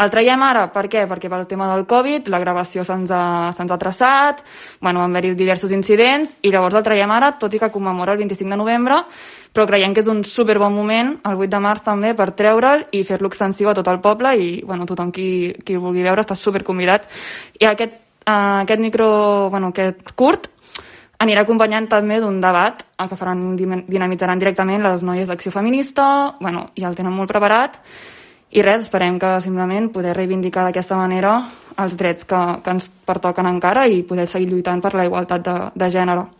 El traiem ara, per què? Perquè pel tema del Covid, la gravació se'ns ha traçat, van haver-hi diversos incidents, i llavors el traiem ara, tot i que commemora el 25 de novembre, però creiem que és un superbon moment, el 8 de març també, per treure'l i fer-lo extensiu a tot el poble, i tothom qui el vulgui veure està superconvidat. I aquest curt anirà acompanyant també d'un debat que dinamitzaran directament les noies d'Acció Feminista, ja el tenen molt preparat, i res, esperem que simplement poder reivindicar d'aquesta manera els drets que ens pertoquen encara i poder seguir lluitant per la igualtat de gènere.